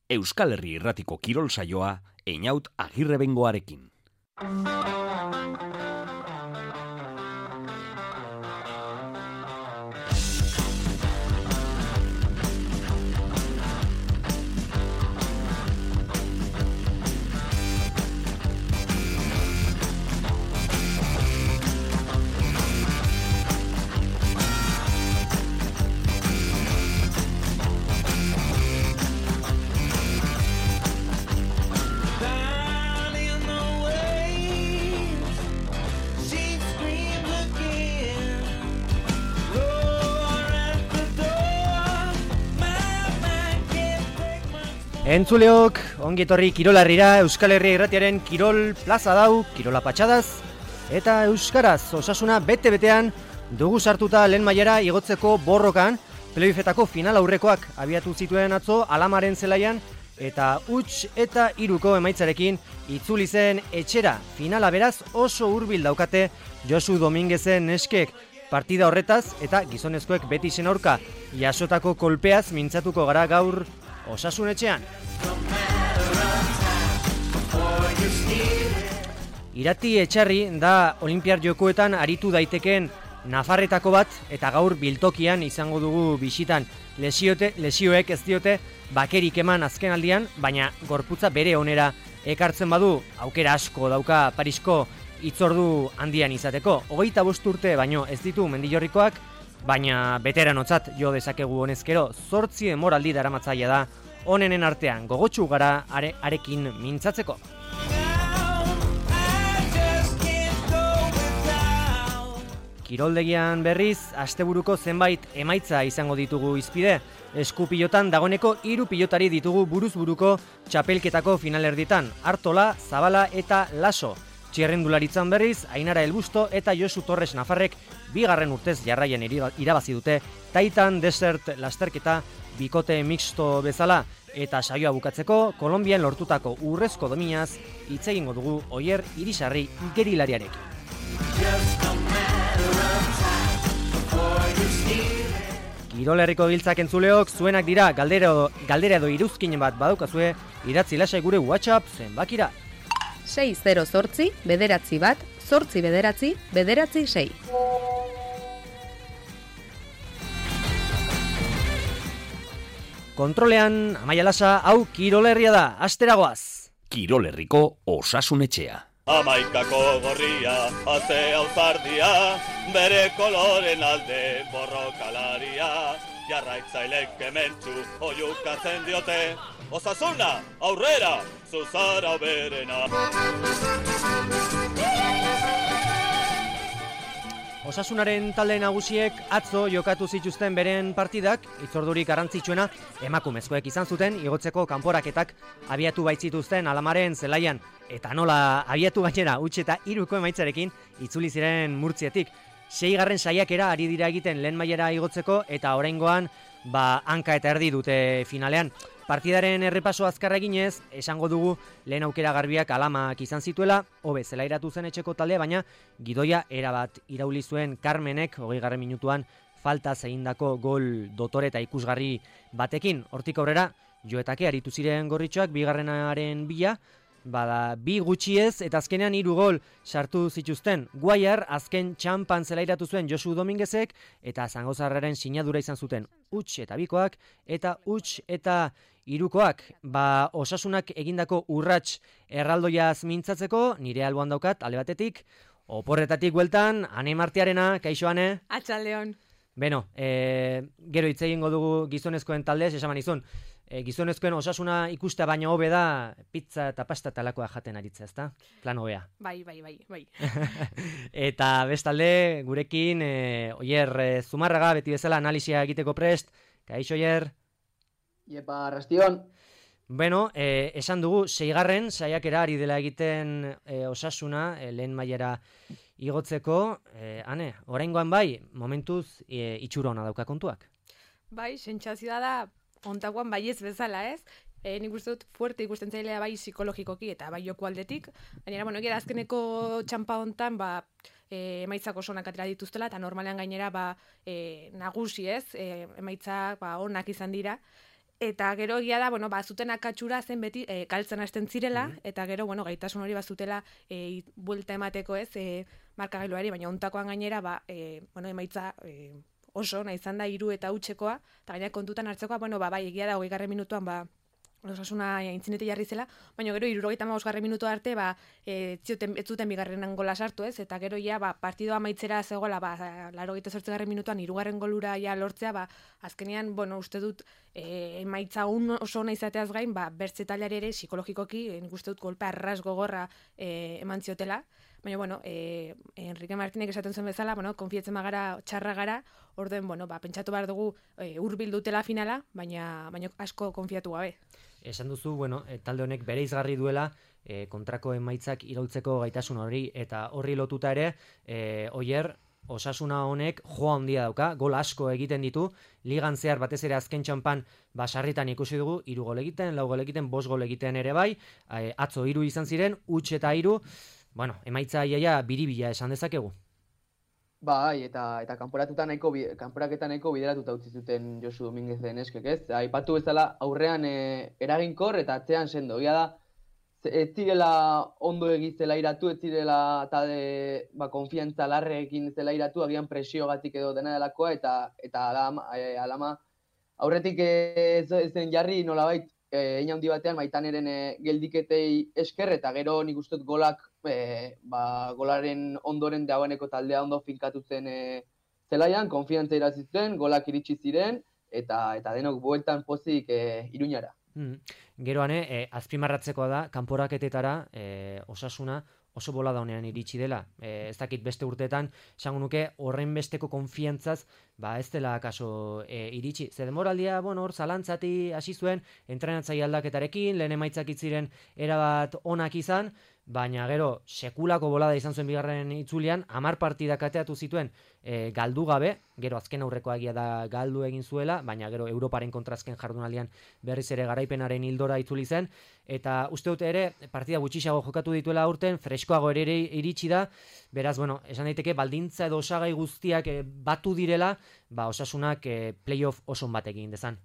Euskal Herri Irratiko kirol saioa Einaut Agirrebengoarekin. Entzuleok, ongetorri kirolarrira, Euskal Herria Irratiaren kirol plaza dau, kirola patxadaz, eta euskaraz osasuna bete-betean dugu sartuta lehen mailara igotzeko borrokan, playoffetako final aurrekoak abiatu zituen atzo Alamaren zelaian, eta huts eta 3 emaitzarekin itzuli zen etxera. Finala beraz oso hurbil daukate Josu Dominguezen neskek. Partida horretaz eta gizonezkoek Betisen aurka jasotako kolpeaz mintzatuko gara gaur Osasun etxean. Irati Etxarri da Olinpiar Jokoetan aritu daiteken nafarretako bat eta gaur biltokian izango dugu bisitan. Lesioek ez diote bakerik eman azken aldian, baina gorputza bere onera ekartzen badu, aukera asko dauka Parisko hitzordu handian izateko. 25 urte baino ez ditu Mendillorrikoak, baina beteranotzat jo dezakegu honezkero. 8 denboraldi daramatzailea da onenen artean, gogotsu gara arekin mintzatzeko. Kiroldegian berriz, asteburuko zenbait emaitza izango ditugu hizpide. Eskupilotan dagoeneko 3 pilotari ditugu buruz-buruko txapelketako finalerditan, Artola, Zabala eta Laso. Txirrendularitzan berriz, Ainara Elbusto eta Josu Torres Nafarrek 2. urtez jarraian irabazi dute Titan Desert lasterketa bikote mixto bezala, eta saioa bukatzeko Kolonbian lortutako urrezko dominaz hitz egingo dugu Oier Irisarri gerilariarekin. Kirol Herriko Giltzak entzuleok, zuenak dira galdera edo iruzkinen bat badaukazue, idatzi lasai gure WhatsApp zenbakira. 608 bederatzi bat, 8 bederatzi, bederatzi 6. Kontrolean, Amaia Lasa, hau Kirol Herria da, asteragoaz. Kirol Herriko Osasun etxea. Amaikako gorria, atzea uzardia, bere koloren alde borrokalaria, jarraitzailek kementsu oiukatzen diote, Osasuna, aurrera, zuzara berena. Osasunaren talde nagusiek atzo jokatu zituzten beren partidak, hitzordurik garrantzitsuena emakumezkoek izan zuten, igotzeko kanporaketak abiatu baitzituzten Alamaren zelaian, eta nola abiatu gainera huts eta 3 emaitzarekin itzuli ziren Murtzietik. 6. saiakera ari dira egiten lehen mailara igotzeko, eta oraingoan hanka eta erdi dute finalean. Partidaren errepaso azkarra eginez, esango dugu lehen aukera garbiak Alamak izan zituela, hobe zelairatu zen etxeko talde, baina gidoia erabat irauli zuen Carmenek 20. minutuan faltaz egindako gol dotore eta ikusgarri batekin. Hortik aurrera, joetake aritu ziren gorritxoak, 2. bila, bada 2 gutxiez eta azkenean 3 gol sartu zituzten. Guaiar azken txampan zelairatu zuen Josu Dominguezek eta Zangozarraren sinadura izan zuten huts eta 2koak eta huts eta 3koak. Osasunak egindako urrats erraldoiaz mintzatzeko nire alboan daukat alde batetik, oporretatik bueltan, Ane Martiarena, kaixo Ane? Atxaldeon. Beno, gero hitz egingo dugu gizonezkoen taldez, esaman izun. Gizonezkoen Osasuna ikustea baino hobe da pizza eta pasta talakoa jaten aritza, ezta? Plan hobea. Bai. Eta bestalde, gurekin, Oier Zumarraga, beti bezala analisia egiteko prest. Kaixo, Oier? Iepa, arrastion. Bueno, esan dugu, 6. saiakera ari dela egiten Osasuna, lehen mailara igotzeko. Ane, oraingoan bai, momentuz itxura ona dauka kontuak. Bai, sentsazioa da, ontakoan baiez bezala, ez? Nik uste dut fuerte ikusten zailea bai psikologikoki eta bai joko aldetik. Gainera, gera azkeneko txampa hontan, emaitzak oso onak atera dituztela, eta normalean gainera nagusi ez, emaitzak onak izan dira. Eta gero egia da, zuten akatsura zen beti galtzen hasten zirela, eta gero, gaitasun hori bazutela buelta emateko ez, markagailuari, baina ontakoan gainera, emaitza oso, nahi izan da 3 eta hutsekoa, eta gaina kontutan hartzekoa, bai, egia da, 20. minutuan, Osasuna aintzinete jarri zela, baina gero 75. minutu arte ez zuten bigarrenan gola sartu ez, eta gero partidoa amaitzera zegoela 88. minutuan 3. golura lortzea, azkenean, uste dut emaitza oso ona izateaz gain, bertze taldeari ere psikologikoki, nik uste dut golpe arras gogorra eman ziotela, baina Enrique Martinek esaten zuen bezala, konfiatzen bagara, txarra gara, orden, pentsatu behar dugu hurbil dutela finala, baina asko konfiatu gabe. Esan duzu, talde honek bere izgarri duela kontrako emaitzak iraultzeko gaitasun hori, eta horri lotuta ere, Oier, Osasuna honek joa handia dauka, gol asko egiten ditu, ligan zehar batez ere azken txanpan sarritan ikusi dugu, 3 gol egiten, 4 gol egiten, 5 gol egiten ere bai, atzo 3 izan ziren, huts eta 3, emaitza iaia biribila esan dezakegu. Bai, eta kanporaketa nahiko bideratuta utzi zuten Josu Dominguezen eskek, ez? Aipatu bezala aurrean eraginkor eta atzean sendo. Egia da, ez zirela ondo egizela iratu, ez zirela konfiantza larreekin zela iratu, agian presiogatik edo dena delakoa, eta alama aurretik zen jarri nolabait hein handi batean Maitaneren geldiketei esker, eta gero nik uste dut golak golaren ondoren dagoeneko taldea ondo finkatu zen zelaian, konfiantza irazi zen, golak iritsi ziren, eta denok bueltan pozik Iruñara. Geroan, azpimarratzekoa da, kanporaketetara Osasuna oso bolada honean iritsi dela. Ez dakit beste urteetan, esango nuke horren besteko konfiantzaz, ez dela kaso iritsi. Ze demoraldia, hor zalantzati hasi zuen, entrenatzaile aldaketarekin, lehen emaitzak itziren erabat onak izan, baina gero sekulako bolada izan zuen bigarren itzulian, 10 partidak ateatu zituen galdu gabe, gero azken aurrekoa egia da galdu egin zuela, baina gero Europaren kontrazken jardunaldian berriz ere garaipenaren hildora itzuli zen, eta uste dut ere partida gutxiago jokatu dituela aurten, freskoago ere iritsi da, beraz, esan daiteke baldintza edo osagai guztiak batu direla, Osasunak playoff oso bat egin dezan.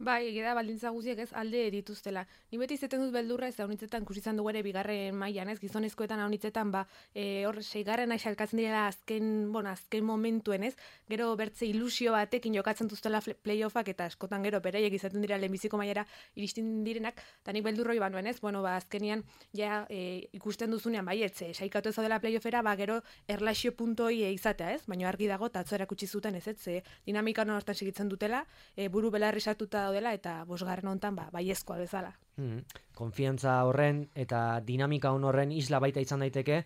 Bai, egia da baldintza guztiak ez alde dituztela. Ni beti izaten dut beldurra ez haunitzetan ikusi izan dugu ere bigarren mailan, ez gizonezkoetan haunitzetan hor 6. xalkatzen direla azken momentuen, ez? Gero bertze ilusio batekin jokatzen duztela playoffak eta askotan gero beraiek izaten dira lehenbiziko mailara iristen direnak, eta nik beldurroi banuen, ez? Azkenian ikusten duzunean baietze, saikatu ez dela playoffera, gero erlaxio puntoi izatea, ez? Baina argi dago ta atzo erakutsi zuten, ez? Dinamika hortan segitzen dutela, buru belarri sartuta daudela eta 5. hontan baiezkoa bezala. Konfiantza horren eta dinamika horren isla baita izan daiteke,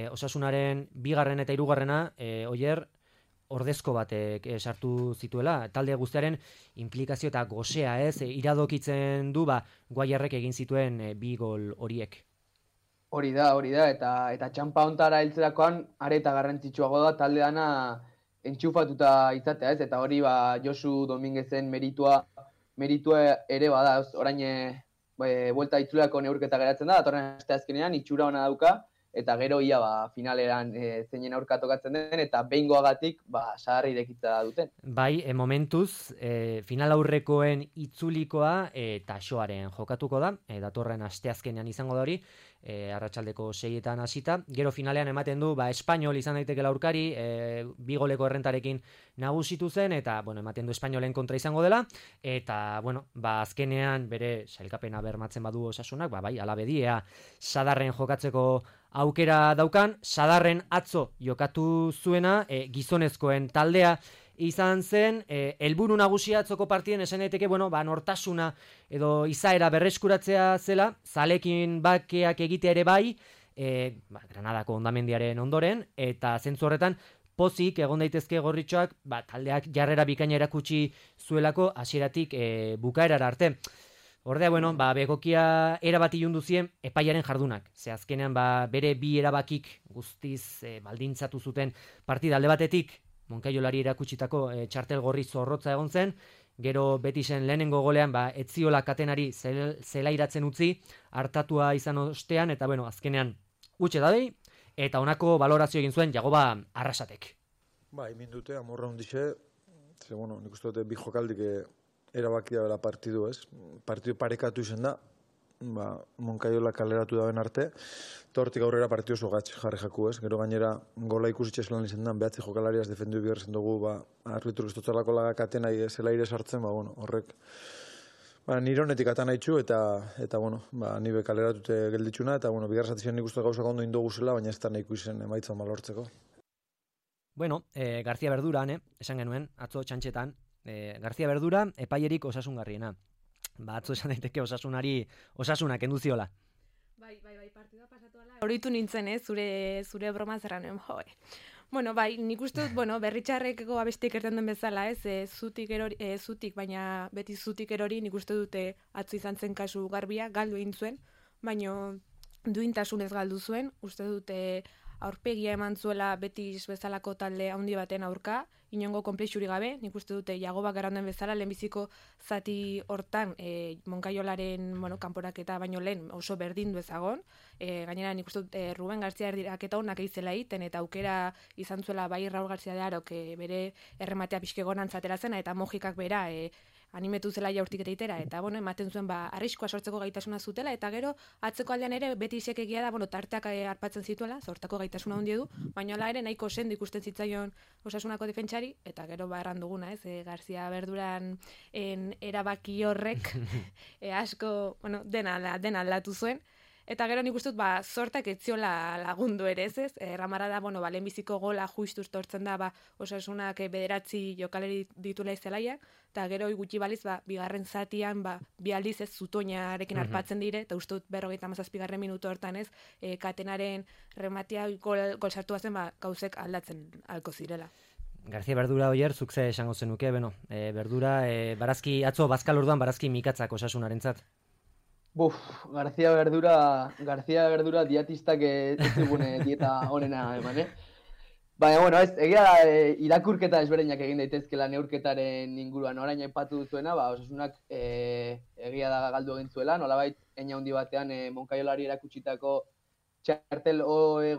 Osasunaren 2. eta 3. Oier ordezko batek sartu zituela, talde guztiaren implikazio eta gosea iradokitzen du Guayarrek egin zituen 2 gol horiek. Hori da, eta txanpa hontara heltzerakoan areta garrantzitsuago da talde dana entxufatuta izatea, ez? Eta hori Josu Dominguezen meritua ere bada, orain buelta itzuleako neurketa geratzen da, datorren asteazkenean itxura ona dauka, eta gero ia finaleran zeinen aurka tokatzen den, eta behingoagatik saharri irekitza duten. Bai, momentuz, final aurrekoen itzulikoa Taxoaren jokatuko da, datorren asteazkenean izango da hori, arratsaldeko 6etan hasita. Gero finalean ematen du, Espainol izan daiteke aurkari, 2 goleko errentarekin nagusitu zen, eta, ematen du Espainolen kontra izango dela, eta, azkenean bere sailkapena bermatzen badu Osasunak, bai, alabediea Sadarren jokatzeko aukera daukan, Sadarren atzo jokatu zuena, gizonezkoen taldea izan zen, helburu nagusia atzoko partien esan daiteke, nortasuna edo izaera berreskuratzea zela, zalekin bakeak egitea ere bai, Granadako hondamendiaren ondoren, eta zentzu horretan, pozik egon daitezke gorritxoak, taldeak jarrera bikaina erakutsi zuelako hasieratik bukaerara arte. Ordea, begokia erabati jundu zien epaiaren jardunak. Ze azkenean, bere 2 erabakik guztiz baldintzatu zuten partida alde batetik, Moncaiolari erakutsitako txartel gorri zorrotza egon zen, gero Betisen lehenengo golean, etziola katenari zelairatzen utzi, hartatua izan ostean, eta azkenean utxe dadei, eta honako balorazio egin zuen Jagoba Arrasatek. Egin dute, amorra hundixe, nik uste dute 2 jokaldik erabakia bera partidu, ez? Partidu parekatu izan da, Monkaiola kaleratu daben arte, eta hortik aurrera partidu oso gatz jarri jaku, ez? Gero gainera gola ikusitxe zelan izan da, behatzi jokalariaz defendu bigarren dugu, arbitru ez dutzalako lagakaten ahi zela ire sartzen, horrek nire honetik atan haitxu, eta nibe kaleratute gelditxuna, eta bigarren zatizien nik uste gauzak ondo indogu zela, baina ez da nahiko izen emaitza malortzeko. Bueno, García Verdura, esan genuen, atzo txantxetan, García Verdura epaierik osasungarriena. Atzo esan daiteke osasunak enduziola. Bai, partidua pasatu ala. Horitu nintzen, zure broma zerran, Bueno, bai, nik uste dut, berritxarrekeko abestik erten den bezala, zutik, baina beti zutik erori, nik uste dute atzo izan zen kasu garbia, galdu egin zuen, baina duintasunez galdu zuen, uste dute aurpegia eman zuela Betis bezalako talde handi baten aurka, inongo konplexuri gabe, nik uste dute Jagobak garanden bezala, lehenbiziko zati hortan Moncaiolaren kanporaketa baino lehen oso berdindu ezagon, gainera nik uste dut Ruben García erdiraketa honak eizela egiten, eta aukera izan zuela bai Raúl García de Arok bere errematea pixkegonan zatera zena, eta Mojikak bera animetu zela jaurtik eta itera, eta ematen zuen arriskoa sortzeko gaitasuna zutela, eta gero atzeko aldean ere beti isek egia da, tarteak arpatzen zituela, zortako gaitasuna handia du, baina hala ere nahiko sendo ikusten zitzaion Osasunako defentsari, eta gero erran duguna, García Verduran erabaki horrek asko, dena aldatu zuen. Eta gero nik uste dut, zortak etziola lagundu ere, ez? Ramara da, lehenbiziko gola juistuz tortzen da, Osasunak bederatzi jokaleri ditula izelaia, eta gero gutxi baliz, bigarren zatian, bi aldiz ez zutoinarekin arpatzen dire, eta uste dut 57. minutu hortan ez, katenaren rematia gol sartu zen, gauzek aldatzen alko zirela. García Verdura oier, zuk ze esango zenuke, Verdura, atzo bazkal orduan barazki mikatzak Osasunarentzat. García Verdura diatistak ez digune dieta honena eman, Baina, egia da, irakurketa ezberdinak egin daitezkela neurketaren inguruan. Orain aipatu duzuena, Osasunak egia da galdu egin zuela, nolabait eina handi batean Moncaiolari erakutsitako txartel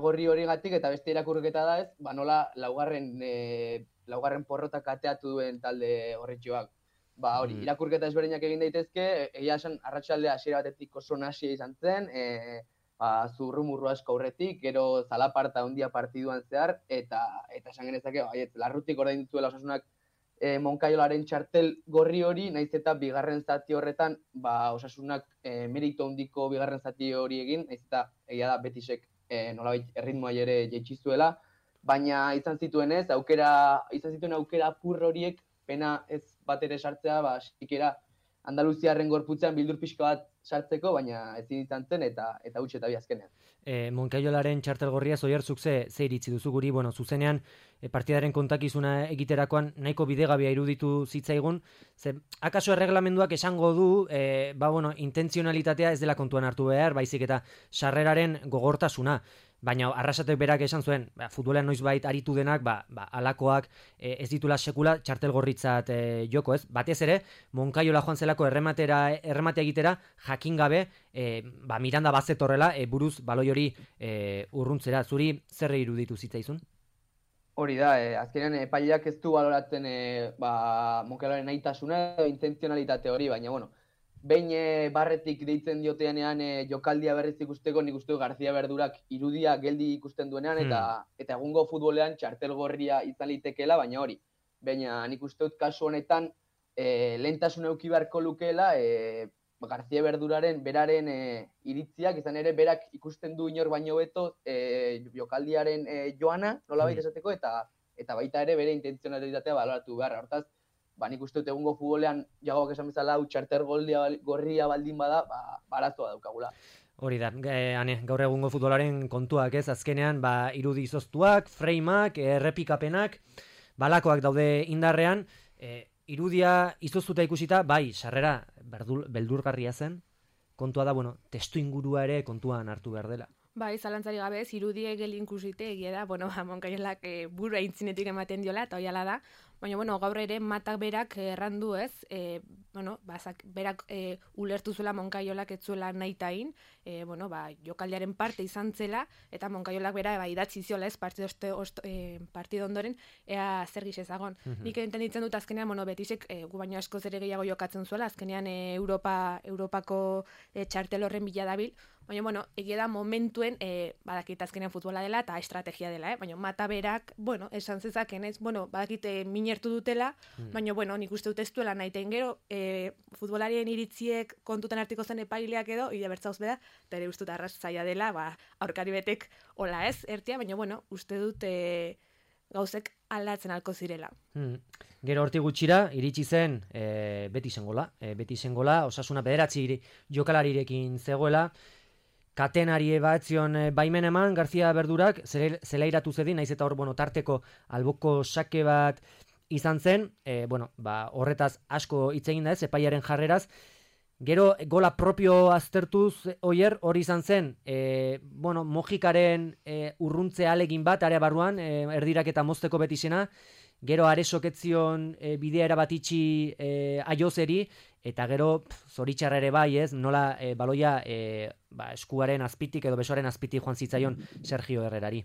gorri hori gatik, eta beste irakurketa da ez, nola laugarren porrotak ateatu duen talde horretxoak. Hori, irakurketa ezberdinak egin daitezke, egia esan arratsaldea hasiera batetik oso nahasia izan zen, zurrumurru asko aurretik, gero zalaparta handia partiduan zehar, eta esan genezake, larrutik orain dituela Osasunak Moncaiolaren txartel gorri hori, nahiz eta bigarren zati horretan, Osasunak merito handiko bigarren zati hori egin, nahiz eta egia da Betisek nolabait erritmoa ere jaitsi-zuela, baina izan zituen aukera apur horiek, pena ez bat ere sartzea, sikera Andaluziarren gorputzean bildur pixka bat sartzeko, baina ez izan zen eta huts eta bi azkenean. Moncaiolaren txartel gorria zoierzuk ze iritzi duzu guri, zuzenean partidaren kontakizuna egiterakoan nahiko bidegabea iruditu zitzaigun, akaso erreglamenduak esango du, intentzionalitatea ez dela kontuan hartu behar, baizik eta sarreraren gogortasuna. Baina Arrasatek berak esan zuen, futbolean noizbait aritu denak, alakoak ez ditula sekula txartel gorritzat joko, ez? Batez ere, Moncaiola joan zelako errematea egitera, jakin gabe, Miranda bazetorrela, buruz baloi hori urruntzera. Zuri zer iruditu zitzaizun? Hori da, azkenean epaileak ez du baloratzen Moncaiolaren nahitasuna, intentzionalitate hori, baina, behin barretik deitzen dioteanean jokaldia berriz ikusteko, nik uste García Verdurak irudia geldi ikusten duenean, eta egungo futbolean txartel gorria izan litekeela, baina hori. Baina nik uste dut kasu honetan lehentasuna eduki beharko lukeela García Verduraren beraren iritziak, izan ere berak ikusten du inor baino beto jokaldiaren joana, nolabait esateko, eta baita ere bere intentzionalitatea baloratu beharra. Hortaz, nik uste dut egungo futbolean Jagobak esan bezala txartel gorria baldin bada, arazoa daukagula. Hori da, gaur egungo futbolaren kontuak ez, azkenean irudi izoztuak, frameak, errepikapenak, balakoak daude indarrean, irudia izoztuta ikusita, sarrera beldurgarria zen, kontua da, testu ingurua ere kontuan hartu behar dela. Zalantzari gabe ez, irudie gelin ikusite egia da, Moncaiolak burua intzinetik ematen diola, eta hoiala da, baina, bueno, gaur ere Matak berak errandu ez, berak ulertu zuela Moncayolak ez zuela nahitain, jokaldiaren parte izan zela, eta Moncayolak bera idatzi ziola ez, partido ondoren, ea zer gix ezagon. Nik entenditzen dut azkenean, Betisek gu baino askoz ere gehiago jokatzen zuela, azkenean Europako txartel horren bila dabil, baina, egia da momentuen, badakit azkenean futbola dela eta estrategia dela, baina Mata berak, esan zezaken ez, badakit minertu dutela, baina, nik uste dut ez duela nahiteen gero, futbolarien iritziek kontutan hartiko zen epaileak edo, ide bertzauz beda, eta ere uste dut arras zaila dela, aurkari betek hola ez, ertia, baina, uste dut gauzek aldatzen alko zirela. Gero hortik gutxira, iritsi zen Betisen gola, Osasuna 9 jokalarirekin zegoela, katenari batzion baimen eman, García Berdurak, zelairatu zedin, naiz eta hor, tarteko alboko sake bat izan zen, horretaz asko hitz egin da ez, epaiaren jarreraz, gero gola propio aztertuz hori izan zen, Mojikaren urruntze alegin bat, area barruan, erdirak eta mozteko Betisena, gero aresoketzion bidea erabatitxi aiozeri, eta gero zoritxarra ere bai ez, nola baloia eskuaren azpitik edo besoaren azpitik joan zitzaion Sergio Herrerari.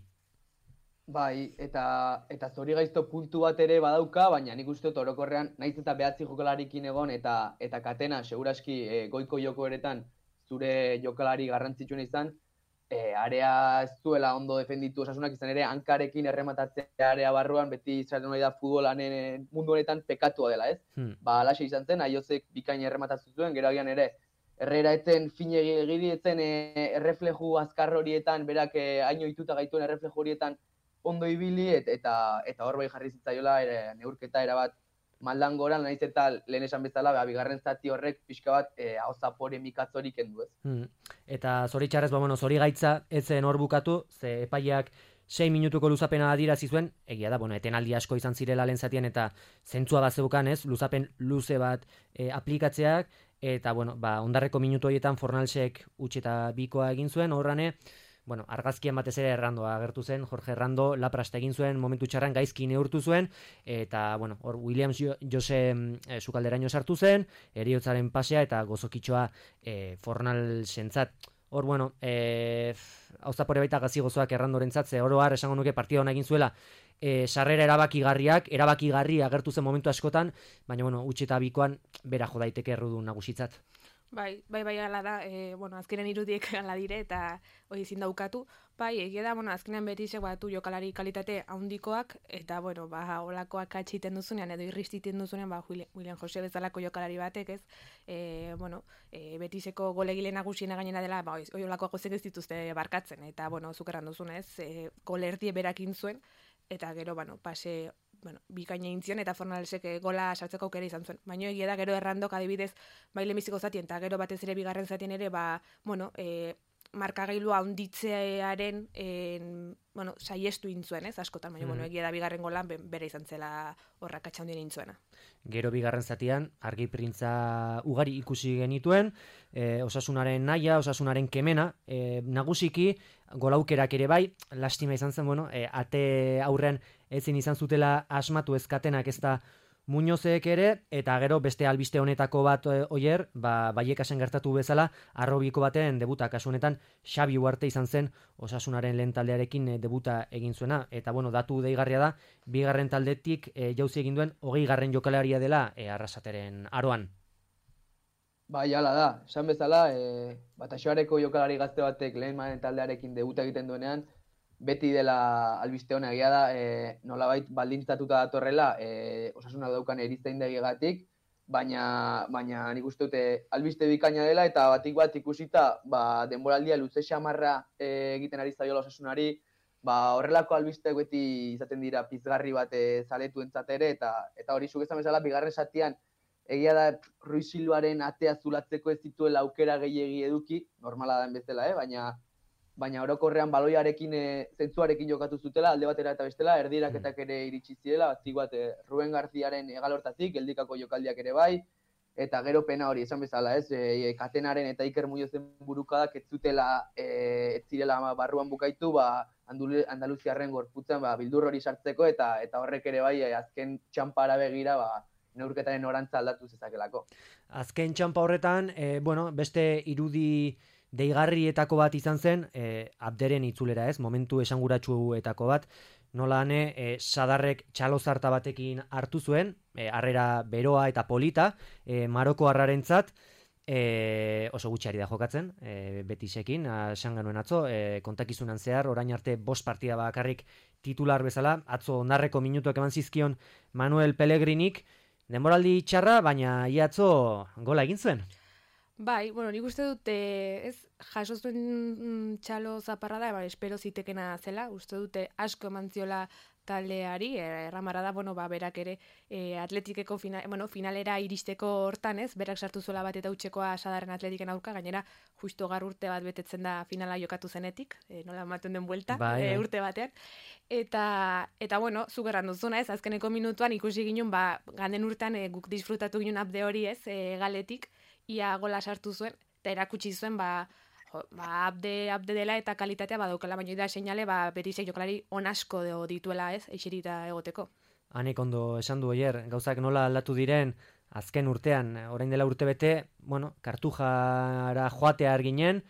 Bai, eta zori gaizto puntu bat ere badauka, baina nik uste dut orokorrean, naiz eta 9 jokalarikin egon, eta katena, seguraski goiko joko eretan zure jokalari garrantzitsuen izan, area ez zuela ondo defenditu Osasunak izan ere, hankarekin errematatzea area barruan, beti izaten hori da futbolanen mundu honetan pekatua dela, ez? Alaxe izan zen, Aiozek bikain errematatzen zuen, gero agian ere, Herrera etzen finegi egiri etzen errefleju azkar horietan, berak haino ituta gaituen errefleju horietan ondo ibili, eta hor bai jarri zitzaiola neurketa erabat maldan goran, nahiz eta lehen esan bezala, bigarren zati horrek pixka bat ahozapore mikatzorik kendu ez. Eta zoritxarrez, zori gaitza etzen hor bukatu, ze epaiak 6 minutuko luzapena adirazi zuen, egia da, etenaldi asko izan zirela lehen zatien, eta zentzua bat zeukan ez, luzapen luze bat aplikatzeak, eta ondarreko minutu horietan Fornalsek utxe eta bikoa egin zuen, horrane, argazkien batez ere Errandoa agertu zen, Jorge Errando laprasta egin zuen, momentu txarran gaizki neurtu zuen, eta hor Williams Jose sukalderaino sartu zen, heriotzaren pasea eta gozokitxoa Fornalsentzat. Hor, hauzapore baita gazi gozoak Errandorentzat, ze oroar esango nuke partida hona egin zuela, sarrera erabakigarri agertu zen momentu askotan, baina utxe eta bikoan bera jo daiteke errudun nagusitzat. Bai, ala da, azkenen irudiek ala dire eta hori ezin daukatu. Bai, egia da, azkenean Betisek batu jokalari kalitate handikoak, eta, olakoak atxiten duzunean, edo irristiten duzunean, William Jose bezalako jokalari batek, ez, Betiseko golegile nagusien gainera dela, hori olakoak gozek ez dituzte barkatzen, eta, zukerran duzunez, golerdie berakin zuen, eta gero, bikaina egin zion, eta Fornalsek gola sartzeko aukera izan zuen. Baina egia da, gero Errandok adibidez, bai lehenbiziko zatien, eta gero batez ere bigarren zatien ere, markagailua handitzearen saiestu intzuen, ez, askotan, baina egia da bigarren golan bere izan zela horrak atxaundien intzuena. Gero bigarren zatian, argi printza ugari ikusi genituen, Osasunaren naia, Osasunaren kemena, nagusiki, golaukerak ere bai, lastima izan zen, ate aurrean ezin izan zutela asmatu ezkatenak ez da Muñozek ere, eta gero beste albiste honetako bat oier, Baiekasen gertatu bezala, arrobiko baten debuta, kasu honetan Xabi Uarte izan zen Osasunaren lehen taldearekin debuta egin zuena, eta datu deigarria da, bigarren taldetik jauzi egin duen 20. jokalaria dela Arrasateren aroan. Bai, hala da, esan bezala, Bataxoareko jokalari gazte batek lehen taldearekin debuta egiten duenean, beti dela albiste hona egia da, nolabait baldintzatuta datorrela, Osasunak daukan eriztaindegiagatik, baina nik uste dute albiste bikaina dela, eta batik bat ikusita, denboraldia luze xamarra egiten ari zaiola Osasunari, horrelako albiste beti izaten dira pizgarri bat zaletuentzat ere, eta hori zuk esan bezala, bigarren zatian, egia da Ruiz Silvaren atea zulatzeko ez zituela aukera gehiegi eduki, normala den bezala, baina orokorrean baloiarekin, zentzuarekin jokatu zutela, alde batera eta bestela, erdiraketak ere iritsi zirela, batik bat Ruben Garziaren egalortatik, geldikako jokaldiak ere bai, eta gero pena hori esan bezala, ez? Katenaren eta Iker Muñozen burukadak ez zirela barruan bukaitu, Andaluziarren gorputzen bildur hori sartzeko eta horrek ere bai azken txampara begira neurketaren orantza aldatu zezakelako. Azken txampa horretan, beste irudi deigarrietako bat izan zen, Abderen itzulera, ez? Momentu esanguratsuetako bat, nolane Sadarrek txalozarta batekin hartu zuen, harrera beroa eta polita, Maroko harrarentzat, oso gutxi ari da jokatzen, Betisekin, esan genuen atzo, kontakizunan zehar, orain arte 5 partida bakarrik titular bezala, atzo ondarreko minutuak eman zizkion Manuel Pellegrinik, denboraldi txarra, baina atzo gola egin zuen. Bai, nik uste dut, jaso zuen txalo zaparra da, espero zitekena zela, uste dute asko eman ziola taldeari, erramara da, berak ere atletikeko finalera iristeko hortan, berak sartu zuela bat eta utxekoa Sadarren Atletiken aurka, gainera justo gaur urte bat betetzen da finala jokatu zenetik, nola ematen den buelta, urte batean, eta zuk erran duzuna, azkeneko minutuan ikusi ginen, ganden urtean guk disfrutatu ginen Abde hori, galetik, ia gola sartu zuen, eta erakutsi zuen, Abde dela eta kalitatea badaukala, baina da seinale, Betisek jokalari onasko dituela, eixerita egoteko. Hanek ondo esan du oier, gauzak nola aldatu diren, azken urtean, orain dela urte bete, Kartujara joatea arginen,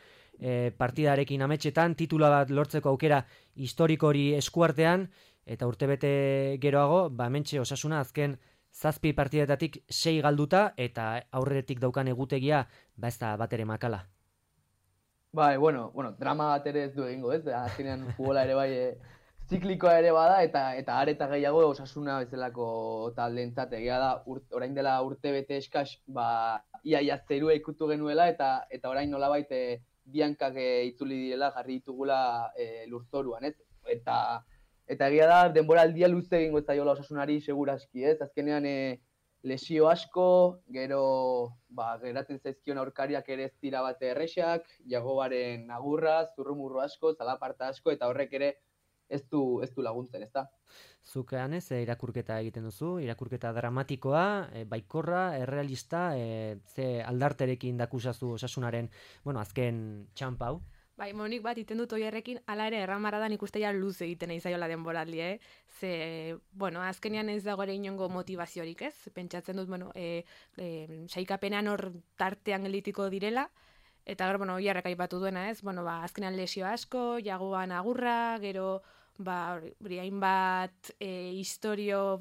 partidarekin ametxetan, titula bat lortzeko aukera historikori eskuartean, eta urte bete geroago, hementxe Osasuna azken 7 partidetatik 6 galduta, eta aurretik daukan egutegia, ez da bat ere makala. Bai, drama bat ere ez du egingo, ez? Azkenean futbola ere bai ziklikoa ere bada, eta areta gehiago Osasuna bezalako taldeentzat egia da, orain dela urte bete eskas, ia zerua ikutu genuela, eta orain nolabait biankak itzuli direla, jarri ditugula lurzoruan, ez? Eta egia da, denboraldia luze egingo zaiola Osasunari segurazki, ez? Azkenean lesio asko, gero geratzen zaizkion aurkariak ere ez dira bate errexak, Jagobaren agurra, zurrumurru asko, zalaparta asko, eta horrek ere ez du laguntzen, ezta? Zukean irakurketa egiten duzu, irakurketa dramatikoa, baikorra, errealista, ze aldarterekin dakusazu Osasunaren, azken txampa hau? Bai, nik bat iten dut oierrekin, ala ere erramara da nik uste ja luz egiten izaiola denboraldi, Ze, azkenean ez dago ere inongo motivaziorik, ez? Pentsatzen dut, saikapenean hor tartean gelitiko direla, eta gero, oierrek aipatu duena, ez? Azkenean lesio asko, Jagoan agurra, gero, hainbat historio,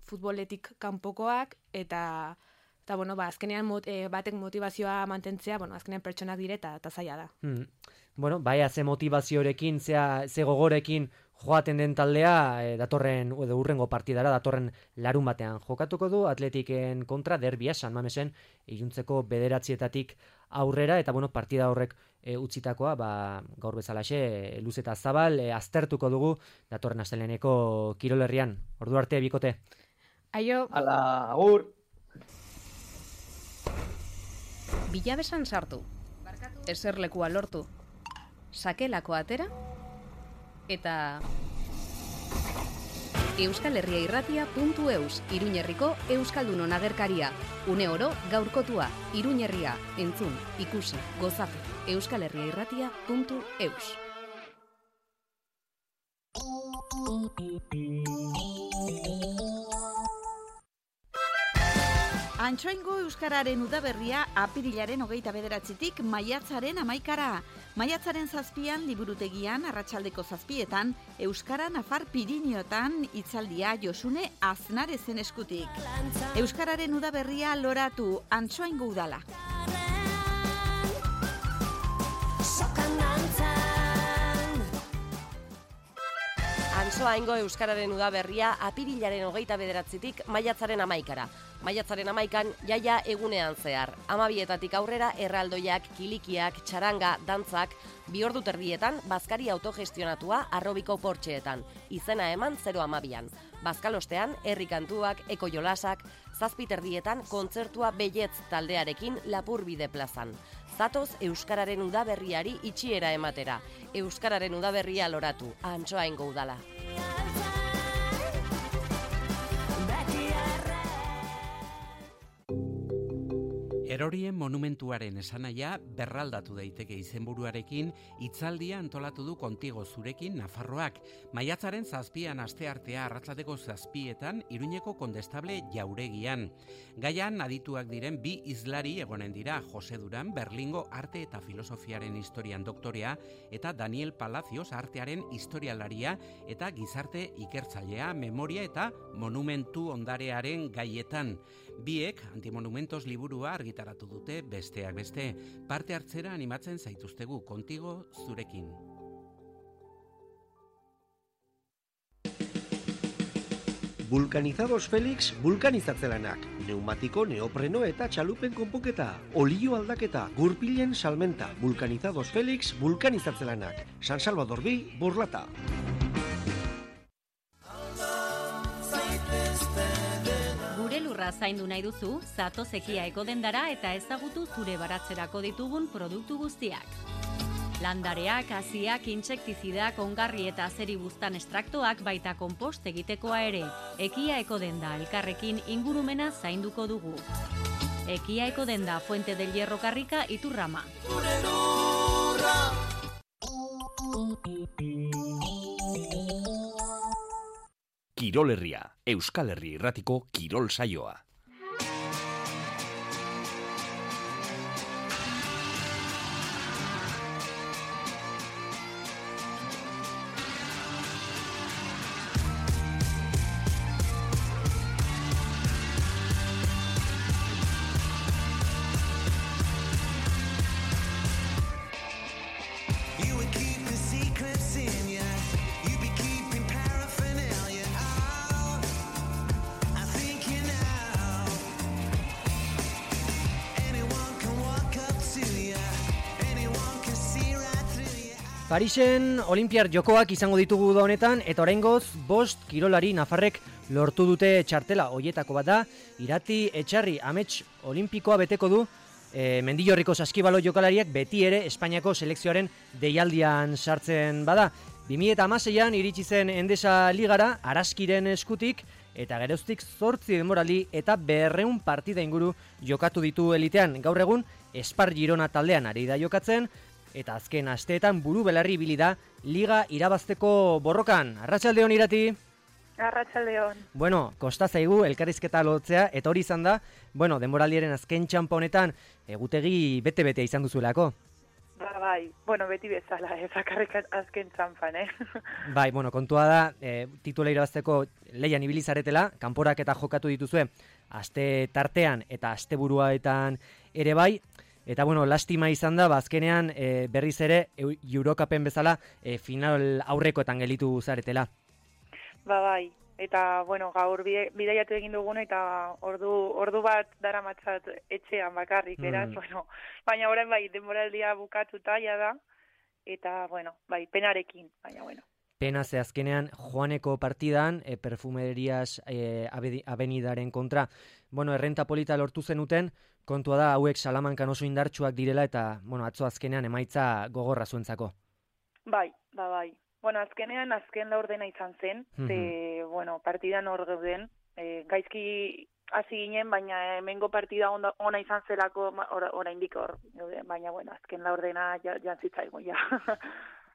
futboletik kanpokoak, eta azkenean batek motivazioa mantentzea, azkenean pertsonak direta eta zaila da. Ze motivaziorekin, ze gogorekin joaten den taldea, datorren, urrengo partidara, datorren larun batean jokatuko du, Atletiken kontra, derbia, San Mamesen, iluntzeko 9 aurrera, eta partida horrek utzitakoa, gaur bezalaxe, luz eta zabal, aztertuko dugu, datorren asteleheneko Kirolerrian. Ordu arte, bikote. Aio. Ala, agur. Bilabesan sartu, eserlekua lortu, sakelako atera, eta euskalherriairratia.eus, Iruñerriko Euskaldunon agerkaria, une oro gaurkotua, Iruñerria, entzun, ikusi, gozatu, euskalherriairratia.eus. Antsoaingo Euskararen udaberria apirilaren 29tik maiatzaren 11. Maiatzaren 7 liburutegian arratsaldeko 7etan Euskara Nafar Pirinioetan hitzaldia Josune Aznarezen eskutik. Euskararen udaberria loratu Antsoaingo udala. Antsoaingo Euskararen udaberria apirilaren 29tik maiatzaren 11. Maiatzaren 11an jaia egunean zehar. 12etatik aurrera erraldoiak, kilikiak, txaranga, dantzak, 2 ordu terdietan bazkari autogestionatua Arrobiko Portxeetan. Izena eman 012an. Bazkalostean herri kantuak, eko jolasak, 7 terdietan kontzertua Belletz taldearekin Lapurbide plazan. Zatoz Euskararen udaberriari itxiera ematera. Euskararen udaberria loratu, Antsoaingo udala. Erorien monumentuaren esanaia berraldatu daiteke izenburuarekin hitzaldia antolatu du Kontigo zurekin Nafarroak. Maiatzaren 7an asteartea arratsaldeko 7etan Iruñeko Kondestable Jauregian. Gaian adituak diren bi hizlari egonen dira, Jose Duran Berlingo arte eta filosofiaren historian doktorea eta Daniel Palacios artearen historialaria eta gizarte ikertzailea, memoria eta monumentu ondarearen gaietan. Biek antimonumentos liburua argitaratu dute besteak beste. Parte hartzera animatzen zaituztegu Kontigo zurekin. Vulcanizados Felix vulkanizatzelanak, neumatiko, neopreno eta txalupen konponketa, olio aldaketa, gurpilen salmenta, Vulcanizados Felix vulkanizatzelanak, San Salvador bi, Burlata. Gure lurra zaindu nahi duzu, zatoz Ekia Ekodendara eta ezagutu zure baratzerako ditugun produktu guztiak. Landareak, haziak, intsektizidak, ongarri eta azeri buztan estraktoak baita konpost egitekoa ere. Ekia Ekodenda elkarrekin ingurumena zainduko dugu. Ekia Ekodenda Fuente del Hierro Karrika Iturrama. Kirol Herria, Euskal Herri Irratiko kirol saioa. Parisen Olimpiar Jokoak izango ditugu da honetan, eta oraingoz 5 kirolari nafarrek lortu dute txartela. Hoietako bat da, Irati Etxarri amets olimpikoa beteko du, Mendillorriko saskibalo jokalariak beti ere Espainiako selekzioaren deialdian sartzen bada. 2016an iritsi zen Endesa Ligara, Araskiren eskutik, eta geroztik 8 denboraldi eta 200 partida inguru jokatu ditu elitean. Gaur egun, Espar Girona taldean ari da jokatzen, eta azken asteetan buru belarri ibili da liga irabazteko borrokan. Arratsaldeon Irati. Arratsaldeon. Bueno, kosta zaigu elkarrizketa lotzea eta hori izan da, denboraldiaren azken txanpa honetan egutegi bete-betea izan duzuelako. Bai, beti bezala, bakarrik azken txanpan, Bai, kontua da, titula irabazteko leian ibili zaretela, kanporak eta jokatu dituzue, aste tartean eta asteburuetan ere bai. Eta lastima izan da, azkenean berriz ere Eurocupen bezala final aurrekoetan gelitu zaretela. Bai, eta gaur bidaiatu egin dugun eta ordu bat daramatzat etxean bakarrik, beraz, baina orain denboraldia bukatuta ja da, eta penarekin, baina Pena ze azkenean Joaneko partidan, Perfumerias Avenidaren kontra, errenta polita lortu zenuten, kontua da hauek Salamankan oso indartsuak direla eta, atzo azkenean emaitza gogorra zuentzako. Bai. Azkenean azken laurdena izan zen, partidan hor gauden, gaizki hasi ginen, baina hemengo partida ona izan zelako oraindik hor, baina azken laurdena jantzitzaigu, ja.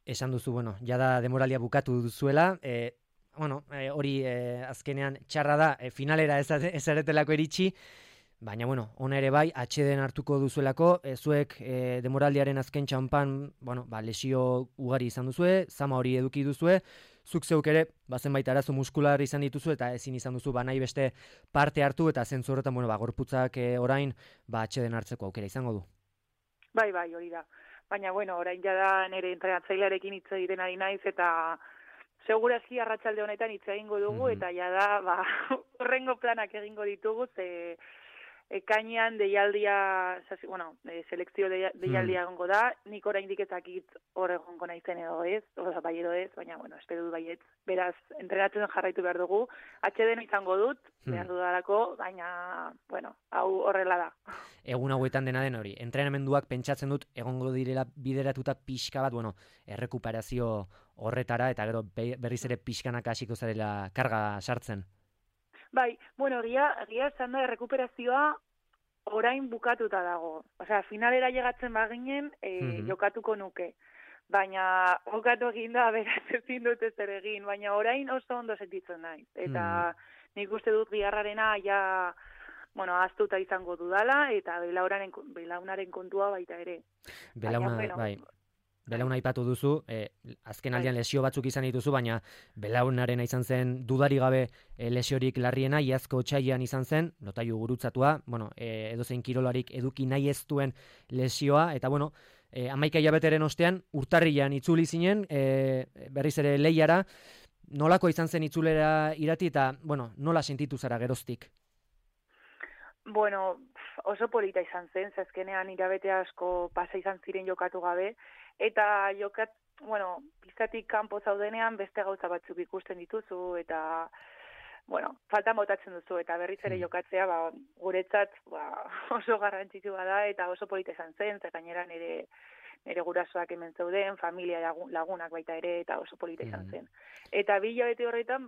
Esan duzu, jada demoralia bukatu duzuela, hori azkenean txarra da, finalera ez aretelako iritsi, baina ona ere bai, atxeden hartuko duzuelako, zuek demoraldiaren azken txampan, lesio ugari izan duzue, zama hori eduki duzue, zuk zeuk ere, zenbait arazo muskular izan dituzu, eta ezin izan duzu, nahi beste parte hartu, eta zentzu horretan, gorputzak orain, atxeden hartzeko aukera izango du. Bai, hori da. Baina, orain jada nire entrenatzailearekin hitz egiten ari naiz, eta segurazki arratsalde honetan hitz egingo dugu, eta jada, horrengo planak egingo ditugu, ze ekainean deialdia, selekzio deialdia egongo da, nik oraindik ez dakit hor egongo naizen edo ez, bai edo ez, baina, espero dut baietz. Beraz, entrenatzen jarraitu behar dugu, atxeden izango dut, behar dudalako, baina, hau horrela da. Egun hauetan dena den hori, entrenamenduak pentsatzen dut egongo direla bideratuta pixka bat, errekuperazio horretara, eta gero berriz ere pixkanak hasiko zarela karga sartzen. Bai, egia esan da, errekuperazioa orain bukatuta dago. Osea, finalera llegatzen baginen, jokatuko nuke. Baina, jokatu egin da, beraz ezin dut ezer egin, baina orain oso ondo sentitzen naiz. Eta nik uste dut Giharrarena ahaztuta izango dudala, eta belaunaren kontua baita ere. Belauna aipatu duzu, azken aldean lesio batzuk izan dituzu, baina belaunarena izan zen dudari gabe lesiorik larriena, iazko otsailean izan zen, lotailu gurutzatua, edozein kirolarik eduki nahi ez duen lesioa, eta 11 hilabeteren ostean, urtarrilean itzuli zinen, berriz ere lehiara, nolako izan zen itzulera irati, eta nola sentitu zara geroztik? Oso polita izan zen, azkenean hilabete asko pasa izan ziren jokatu gabe, eta pistatik kanpo zaudenean beste gauza batzuk ikusten dituzu, eta faltan botatzen duzu, eta berriz ere jokatzea, guretzat oso garrantzitsua da, eta oso polita izan zen, eta gainera nire gurasoak hemen zeuden, familia lagunak baita ere, eta oso polita izan zen. Eta 2 hilabete horretan,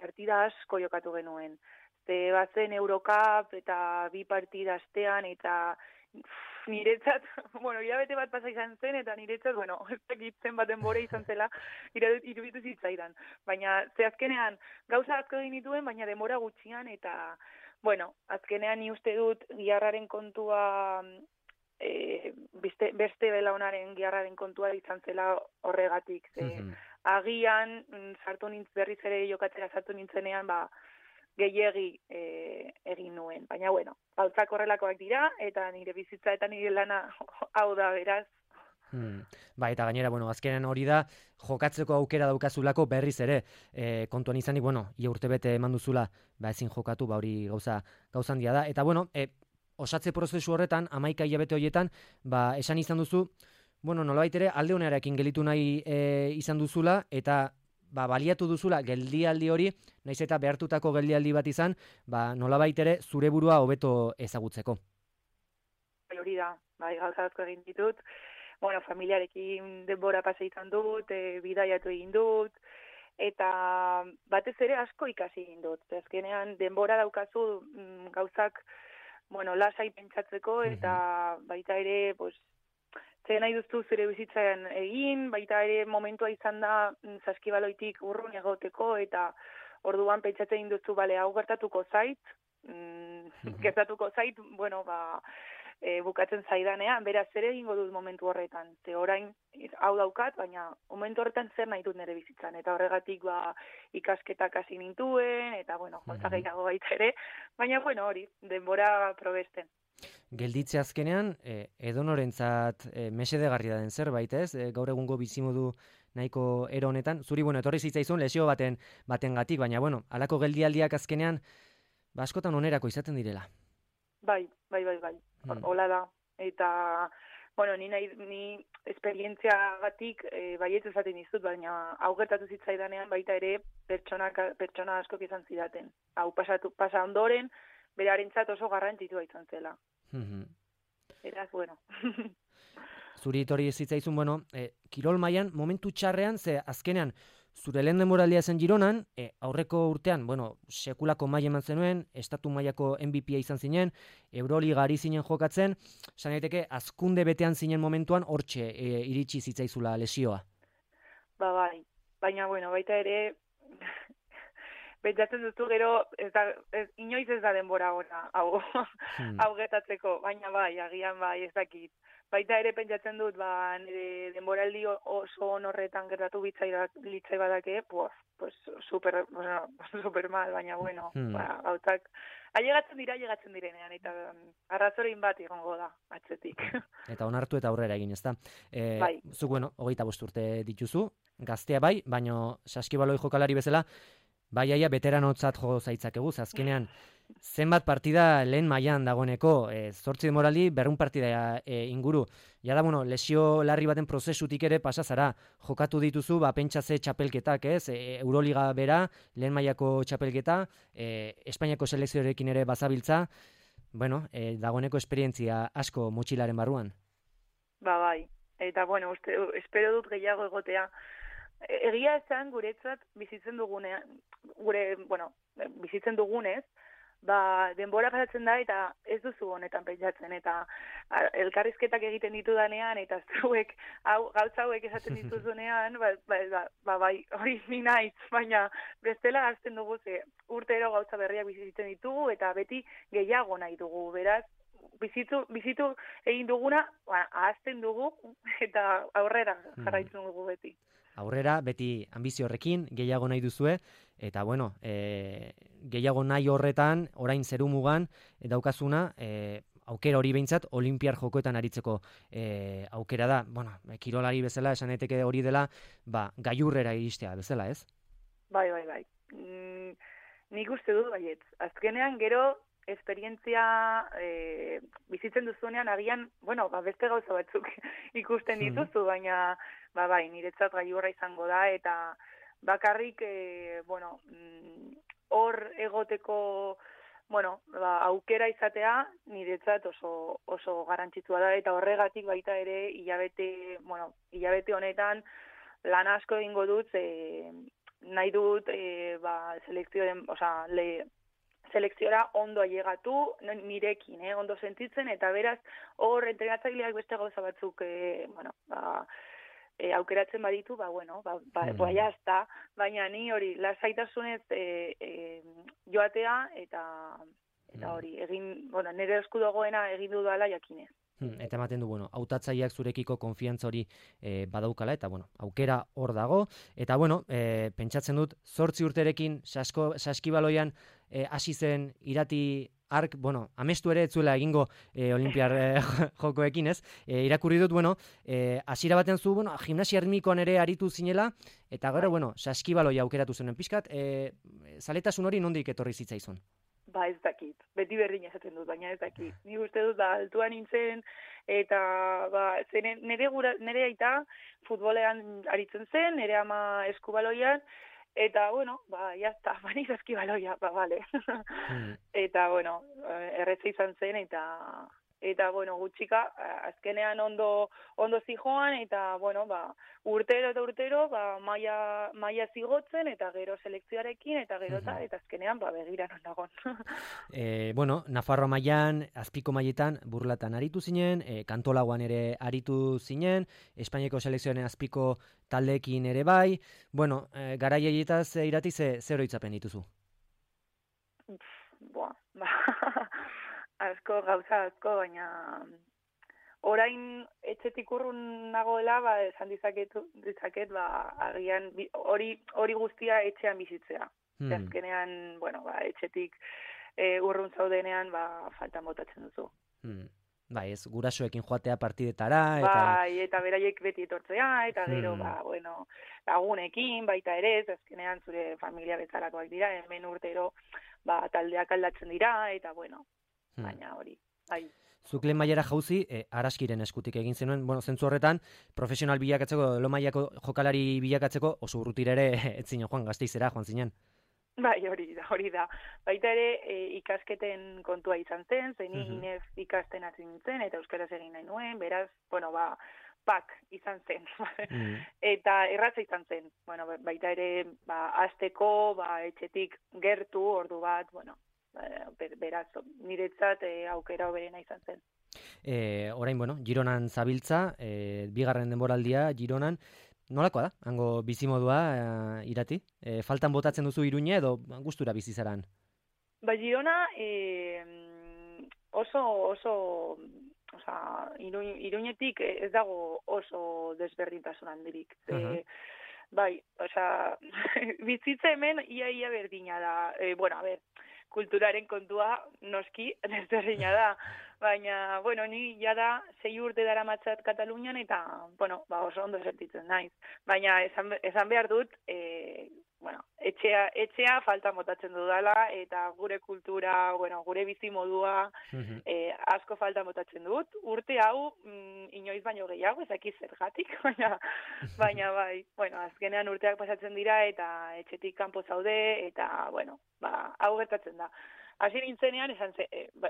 partida asko jokatu genuen. Bazen Eurocup eta 2 partida astean, eta niretzat, hilabete bat pasa izan zen, eta niretzat, ez dakit zenbat denbora izan zela, iruditu zitzaidan. Baina, azkenean, gauza asko egin dituen, baina denbora gutxian, eta, azkenean ni uste dut Giharraren kontua, beste belaunaren Giharraren kontua izan zela horregatik. Agian, berriz ere jokatzera sartu nintzenean, gehiegi egin nuen. Baina, gauzak horrelakoak dira, eta nire bizitza eta nire lana hau da, beraz. Eta gainera, azkenean hori da, jokatzeko aukera daukazulako berriz ere, kontuan izanik, ia urtebete eman duzula, ezin jokatu, hori gauza handia da. Eta, osatze prozesu horretan, 11 hilabete horietan, esan izan duzu, nolabait ere, alde honarekin gelitu nahi izan duzula, eta baliatu duzula geldialdi hori, naiz eta behartutako geldialdi bat izan, nolabait ere zure burua hobeto ezagutzeko. Hori da, gauza asko egin ditut, familiarekin denbora pasa izan dut, bidaiatu egin dut, eta batez ere asko ikasi egin dut. Azkenean denbora daukazu gauzak, lasai pentsatzeko, eta baita ere, zer nahi duztu zure bizitzaren egin, baita ere momentua izan da saskibaloitik urrun egoteko, eta orduan pentsatzen egin duztu, hau gertatuko zait, bukatzen zaidanean, beraz zer egingo dut momentu horretan. Ze orain hau daukat, baina momentu horretan zer nahi dut nire bizitzan. Eta horregatik ikasketak hasi nintuen, eta gauza gehiago baita ere, baina hori, denbora probesten. Gelditze azkenean, edonorentzat mesedegarria den zerbait, ez? Gaur egungo bizimodu nahiko ero honetan. Zuri, etorri zitzaizun lesio batengatik, baina, halako geldialdiak azkenean, askotan onerako izaten direla. Bai. Hola da. Eta, ni esperientzia batik baietz esaten dizut, baina hau gertatu zitzaidanean baita ere pertsona askok izan zidaten. Hau pasa ondoren, berarentzat oso garrantzitsua izan zela. Eraz, Zuri etorri zitzaizun, kirol mailan momentu txarrean, ze azkenean, zure lehen denboraldia zen Gironan, aurreko urtean, sekulako maila eman zenuen, estatu mailako MVP izan zinen, Euroliga ari zinen jokatzen, esan daiteke, azkunde betean zinen momentuan, hortxe iritsi zitzaizula lesioa. Bai, baina, baita ere, pentsatzen duzu gero, inoiz ez da denbora gora, hau getatzeko, baina agian ez dakit. Baita ere pentsatzen dut, nire denboraldi oso horretan gertatu litzai badake, super mal, baina gauzak, ailegatzen direnean, eta arrazorein bat egongo da, atzetik. Eta onartu eta aurrera egin, ezta? Bai. Zuk, 25 urte dituzu, gaztea bai, baina saskibaloi jokalari bezala, aia veteranotzat jo zaitzakegu, azkenean, zenbat partida lehen mailan dagoeneko, 8 denboraldi, 200 partida inguru. Ja da, lesio larri baten prozesutik ere pasazara, jokatu dituzu, pentsa ze txapelketak, ez? Euroliga bera, lehen mailako txapelketa, Espainiako selekzioarekin ere bazabiltza, dagoeneko esperientzia asko motxilaren barruan. Bai, eta espero dut gehiago egotea. Egia esan guretzat bizitzen dugunez, denbora pasatzen da eta ez duzu honetan pentsatzen, eta elkarrizketak egiten ditudanean, eta zuek gauza hauek esaten dituzunean, bai, hori ni naiz, baina bestela hasten dugu, urtero gauza berriak bizitzen ditugu, eta beti gehiago nahi dugu, beraz, bizitu egin duguna, ahazten dugu, eta aurrera jarraitzen dugu beti. Aurrera, beti ambizio horrekin, gehiago nahi duzue, eta bueno, gehiago nahi horretan, orain zerumugan, daukazuna, aukera hori behintzat, olimpiar jokoetan aritzeko aukera da. Bueno, kirolari bezala, esan daiteke hori dela, gailurrera iristea bezala, ez? Bai. Nik uste dut baietz. Azkenean, gero, esperientzia bizitzen duzunean, agian, beste gauza batzuk ikusten dituzu, baina, bai, niretzat gailurra izango da, eta bakarrik, hor egoteko, aukera izatea, niretzat oso garrantzitsua da, eta horregatik baita ere, hilabete honetan, lan asko egingo dut, nahi dut, selekziora ondo ailegatu, nirekin, ondo sentitzen, eta beraz, hor entrenatzaileak beste gauza batzuk, aukeratzen baditu, jazta, baina ni hori, lasaitasunez joatea, eta hori, nire esku dagoena egin dudala jakinez. Eta ematen du, hautatzaileak zurekiko konfiantza hori badaukala, eta aukera hor dago, eta pentsatzen dut, 8 urterekin saskibaloian hasi zen Irati Ark, amestu ere etzuela egingo olimpiar jokoekin, ez? Irakurri dut, hasiera baten zu, gimnasia erritmikoan ere aritu zinela, eta gero, saskibaloia aukeratu zenen pixkat, zaletasun hori nondik etorri zitzaizun? Ez dakit, beti berdin esaten dut, baina ez dakit. Ni uste dut, altuan nintzen, eta nire aita futbolean aritzen zen, nire ama eskubaloian, eta, jazta, baniz eskibaloia, bale. Eta, erretza izan zen, eta gutxika, azkenean ondo zijoan, eta, urtero, maia zigotzen, eta gero selekzioarekin, eta gero eta azkenean, begira non dagon. Nafarroa mailan, azpiko mailetan, burlatan aritu zinen, kantolagoan ere aritu zinen, Espainiako selekzioaren azpiko taldeekin ere bai, garai haietaz Irati zer oroitzapen dituzu? Gauza asko, baina orain etxetik urrun nagoela, esan dizaket, agian hori guztia etxean bizitzea. Azkenean, etxetik urrun zaudenean, faltan botatzen duzu. Ez, gurasoekin joatea partidetara, eta beraiek beti etortzea, eta gero, lagunekin, baita ere, azkenean zure familia bezalakoak dira, hemen urtero, taldeak aldatzen dira, eta baina hori, bai. Zuk lehen mailara jauzi, Araskiren eskutik egin zenuen, zentzu horretan, profesional bilakatzeko, lo mailako jokalari bilakatzeko, oso urrutira ere, etzin joan, Gasteizera, joan zinen. Bai, hori da. Baita ere, ikasketen kontua izan zen, Inez ikasten hasi nintzen, eta euskaraz egin nahi nuen, beraz, pak izan zen. Eta erratza izan zen. Baita ere, hasteko, etxetik gertu, ordu bat, beraz, niretzat aukera hoberena izan zen. Orain, Gironan zabiltza, bigarren denboraldia Gironan, nolakoa da, hango bizimodua Irati? Faltan botatzen duzu Iruña edo gustura bizizaran? Girona oso Iruñetik ez dago oso desberdintasun handirik. Bai, bizitza hemen ia berdina da. Kulturaren kontua noski desberdina da. Baina, ni jada 6 urte daramatzat Katalunian eta, oso ondo sentitzen naiz. Baina, esan behar dut, etxea falta botatzen dudala, eta gure kultura, gure bizimodua asko falta botatzen dut. Urte hau, inoiz baino gehiago, ezakiz zergatik, baina bai, azkenean urteak pasatzen dira, eta etxetik kanpo zaude, eta, hau gertatzen da. hasi nintzenean, esan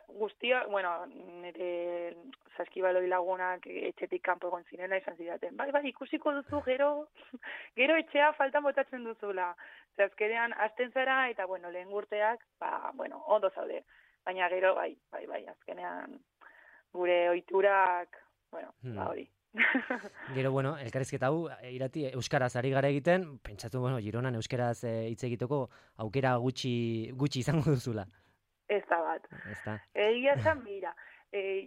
guztia, bueno, nire saskibaloi lagunak etxetik kanpo egon zirena, esan zidaten, bai, ikusiko duzu, gero etxea faltan botatzen duzula. Azkenean, hasten zara, eta, bueno, lehen urteak, ondo zaude. Baina gero, bai, azkenean, gure ohiturak, hori. Gero, elkarrizketa hau, Irati, euskaraz ari gara egiten, pentsatu, Gironan euskaraz hitz egiteko aukera gutxi izango duzula. Ez da bat. Egia zan, mira,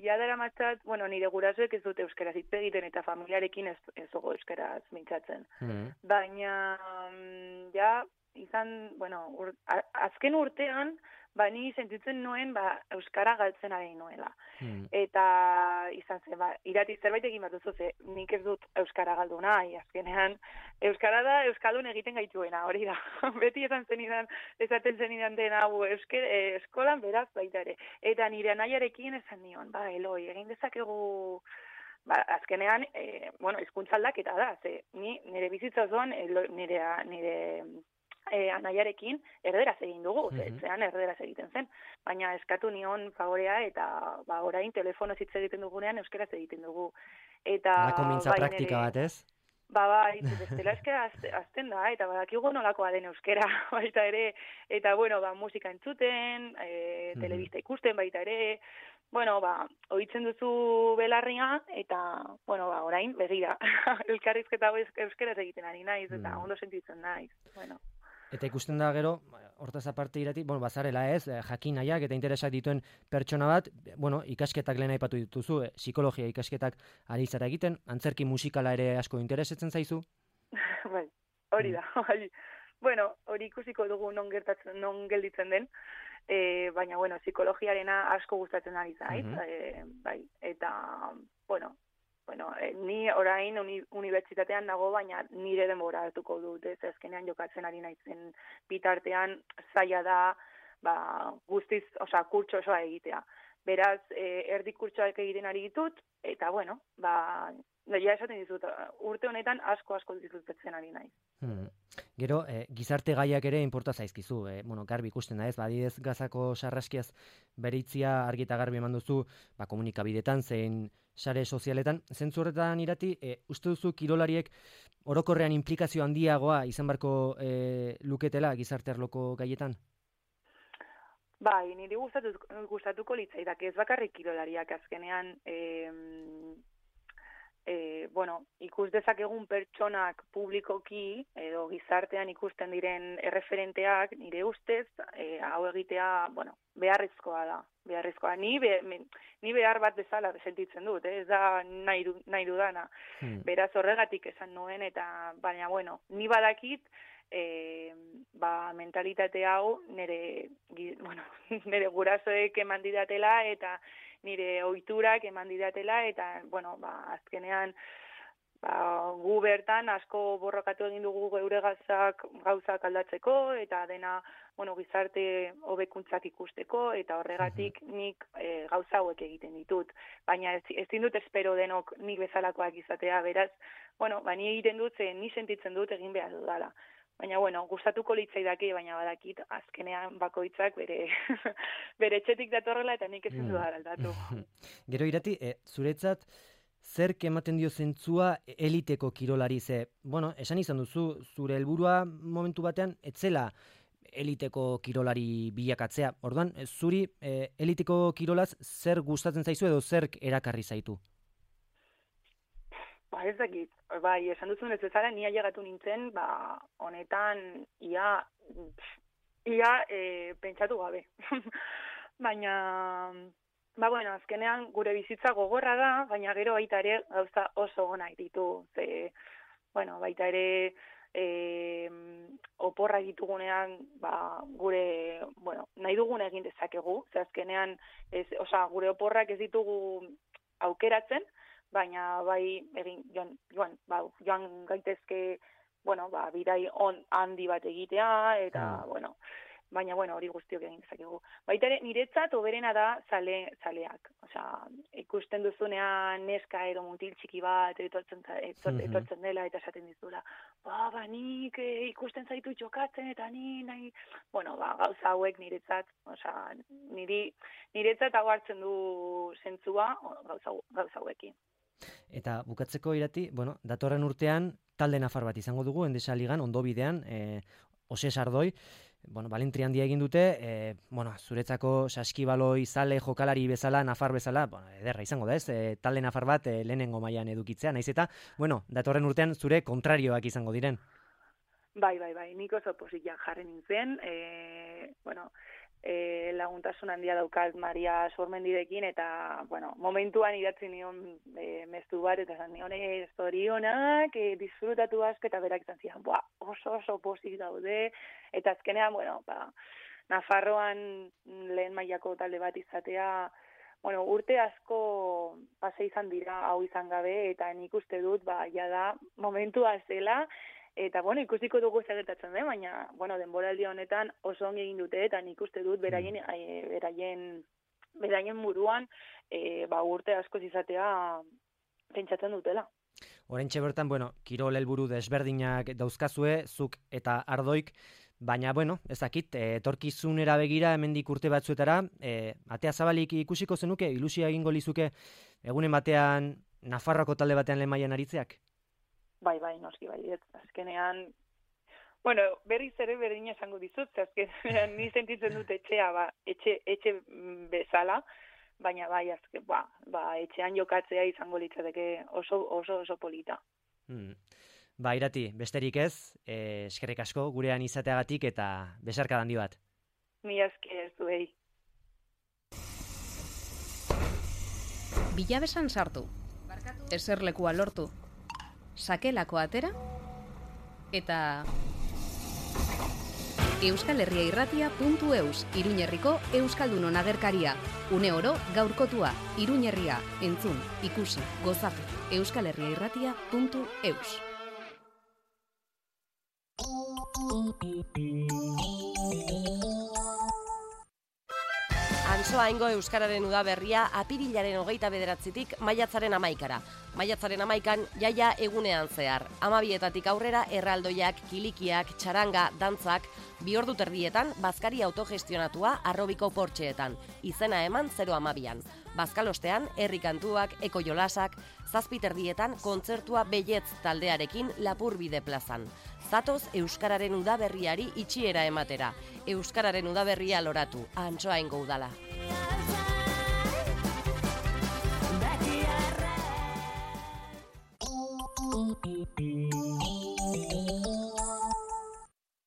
jadara matzat, nire gurasoek ez dute euskaraz hitz egiten eta familiarekin ez dugu euskaraz mintzatzen. Baina, izan, azken urtean, ni sentitzen nuen, euskara galtzen ari nuela. Eta, izan zen, Irati zerbait egin bat duzu, nik ez dut euskara galdu nahi, azkenean, euskara da euskaldun egiten gaituena, hori da. Beti esaten zenidan dena, eskolan beraz baita ere. Eta nire anaiarekin esan nion, Eloi, egin dezakegu, azkenean, hizkuntza aldaketa da, nire bizitza osoan, nire anaiarekin erderaz egin dugu, zean erderaz egiten zen, baina eskatu nion favorea eta orain telefonoz hitz egiten dugunean euskaraz egiten dugu. Halako mintza praktika bat, ez? Bestela euskara azten da, eta badakigu nolakoa den euskara baita ere, eta musika entzuten, telebista ikusten baita ere, ohitzen duzu belarria, eta, orain begira, elkarrizketa euskaraz egiten ari naiz, eta ondo sentitzen naiz, Eta ikusten da gero, hortaz aparte Irati, bazarela ez, jakin nahiak eta interesak dituen pertsona bat, ikasketak lehen aipatu dituzu, psikologia ikasketak ari zara egiten, antzerki musikala ere asko interesatzen zaizu? Bai, hori da, bai. Hori ikusiko dugu non gelditzen den, baina, psikologiarena asko gustatzen ari zait, bai, eta, ni orain unibertsitatean nago, baina nire denbora hartuko dut, ez azkenean jokatzen ari naizen bitartean zaila da, guztiz, kurtso osoa egitea. Beraz, erdi kurtsoak egiten ari ditut, eta, ja esaten dizut, urte honetan asko disfrutatzen ari naiz. Gero, gizarte gaiak ere inporta zaizkizu, garbi ikusten da ez, badidez Gazako sarraskiaz beritzia argi eta garbi eman duzu, komunikabidetan zein sare sozialetan, zentzu horretan Irati, uste duzu kirolariek orokorrean implikazio handiagoa izan barko luketela gizarte arloko gaietan? Bai, niri gustatuko litzaidak, ez bakarrik kirolariak azkenean, ikus dezakegun pertsonak publikoki edo gizartean ikusten diren erreferenteak, nire ustez, hau egitea, beharrezkoa da. Ni behar bat bezala sentitzen dut, ez da nahi dudana. Beraz horregatik esan nuen, eta baina, ni badakit, mentalitate hau nire gurasoek eman didatela eta nire ohiturak eman didatela eta, azkenean gu bertan asko borrokatu egin dugu geure gauzak aldatzeko eta dena, gizarte hobekuntzak ikusteko eta horregatik nik gauza hauek egiten ditut. Baina ezin dut espero denok nik bezalakoak izatea, beraz, ni egiten dut, ni sentitzen dut egin behar dudala. Baina, gustatuko litzaidake, baina badakit, azkenean bakoitzak bere etxetik datorrela eta nik ezin dudara aldatu. Gero Irati, zuretzat, zerk ematen dio zentzua eliteko kirolari ze? Esan izan duzu, zure helburua momentu batean, etzela eliteko kirolari bilakatzea. Orduan, zuri eliteko kirolaz zer gustatzen zaizu edo zerk erakarri zaitu? Ez dakit, esan duzun ez bezala, ni ailegatu nintzen, honetan, ia pentsatu gabe. Baina, azkenean gure bizitza gogorra da, baina gero baita ere gauza oso onak ditu. Baita ere oporra ditugunean, gure, nahi dugun egin dezakegu, azkenean, gure oporrak ez ditugu aukeratzen, baina joan gaitezke, bidai handi bat egitea, eta, baina, bueno, hori guztiok egin dezakegu. Baita ere, niretzat oberena da zaleak. Osea, ikusten duzunean neska edo mutil txiki bat etortzen dela eta esaten dizula, nik ikusten zaitu jokatzen eta nahi, bueno, gauza hauek niretzat, osea, niretzat hau hartzen du zentzua gauza hauekin. Eta bukatzeko Irati, bueno, datorren urtean talde nafar bat izango dugu, Endesa Ligan, ondo bidean, Oses Ardoi, bueno, balentri handia egin dute, bueno, zuretzako saskibaloi zale jokalari bezala, nafar bezala, bueno, ederra izango da ez, talde nafar bat lehenengo mailan edukitzea, naiz eta, bueno, datorren urtean zure kontrarioak izango diren. Bai, nik oso posiak jarri nintzen, bueno, laguntasun handia daukat Maria Sormendirekin, eta, bueno, momentuan idatzi nion mezu bat, eta zan nion zorionak, disfrutatu asko, eta berak izan zian, oso posik daude, eta azkenean, bueno, Nafarroan lehen mailako talde bat izatea, bueno, urte asko pase izan dira hau izan gabe, eta nik uste dut, jada momentua zela, eta, bueno, ikusiko dugu gertatzen den, baina, bueno, denboraldi honetan oso ongi egin dute, eta nik uste dut beraien buruan urte askoz izatea pentsatzen dutela. Oraintxe bertan, bueno, kirol helburu desberdinak dauzkazue, zuk eta Ardoik, baina, bueno, ez dakit, etorkizunera begira hemendik urte batzuetara, atea zabalik ikusiko zenuke, ilusia egingo lizuke egunen batean Nafarroako talde batean lehen mailan aritzeak? Bai, noski, azkenean, bueno, berriz ere berdina esango dizut, azkenean ni sentitzen dut etxea, etxe bezala, baina bai, etxean jokatzea izango litzateke oso polita. Irati, besterik ez, eskerrik asko gurean izateagatik eta besarka handi bat. Mila esker zuei. Bilabesan sartu, eserlekua lortu, sakelako atera, eta euskalherriairratia.eus, Iruñerriko Euskaldunon agerkaria. Une oro gaurkotua, Iruñerria, entzun, ikusi, gozatu, euskalherriairratia.eus. Antsoaingo Euskararen Udaberria apirilaren 29tik maiatzaren 11. Maiatzaren 11 jaia egunean zehar. 12etatik aurrera erraldoiak, kilikiak, txaranga, dantzak, 2 ordu terdietan bazkari autogestionatua Arrobiko Portxeetan. Izena eman 0:12. Bazkalostean herri kantuak, eko jolasak, 7 terdietan kontzertua Belletz taldearekin Lapurbide plazan. Zatoz Euskararen Udaberriari itxiera ematera. Euskararen Udaberria loratu, Antsoaingo udala.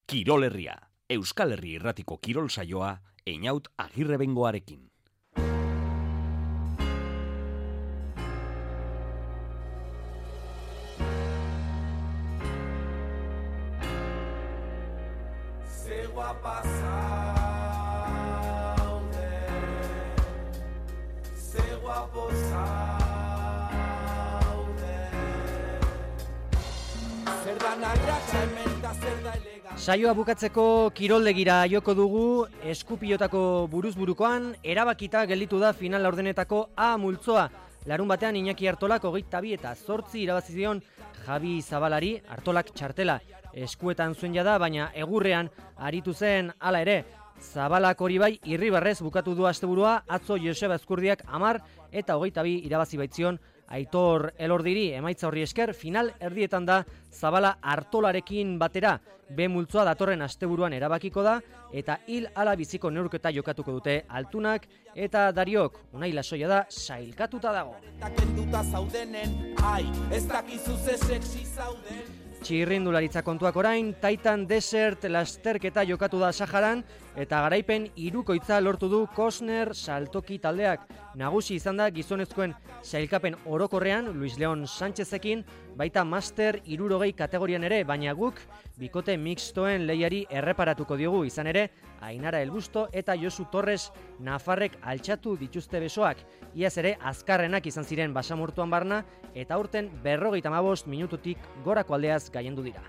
Kirol Herria, Euskal Herri Irratiko kirol saioa, Einaut Agirrebengoarekin. Saioa bukatzeko kiroldegira joko dugu, Eskupilotako buruzburukoan erabakita gelditu da final laurdenetako A multzoa. Larun batean Iñaki Artolak 22 eta 8 irabazi zion Javi Zabalari. Artolak txartela eskuetan zuen jada, baina egurrean aritu zen hala ere. Zabalak hori bai irribarrez bukatu du asteburua, atzo Joseba Ezkurdiak 10 eta 22 irabazi baitzion Aitor Elordiri. Emaitza horri esker, final erdietan da Zabala Artolarekin batera. B multzoa datorren asteburuan erabakiko da, eta hil ala biziko neurketa jokatuko dute Altunak eta Dariok. Unai Lasoia da sailkatuta dago. Txirrindularitza kontuak orain, Titan Desert lasterketa jokatu da Saharan, eta garaipen 3 lortu du Kosner saltoki taldeak. Nagusi izan da gizonezkoen sailkapen orokorrean Luis Leon Sánchezekin, baita Master 60 kategorian ere, baina guk bikote mixtoen lehiari erreparatuko diogu. Izan ere, Ainara Elbusto eta Josu Torres Nafarrek altxatu dituzte besoak. Iaz ere, azkarrenak izan ziren basamortuan barna, eta aurten 55 minututik gorako aldeaz gaiendu dira.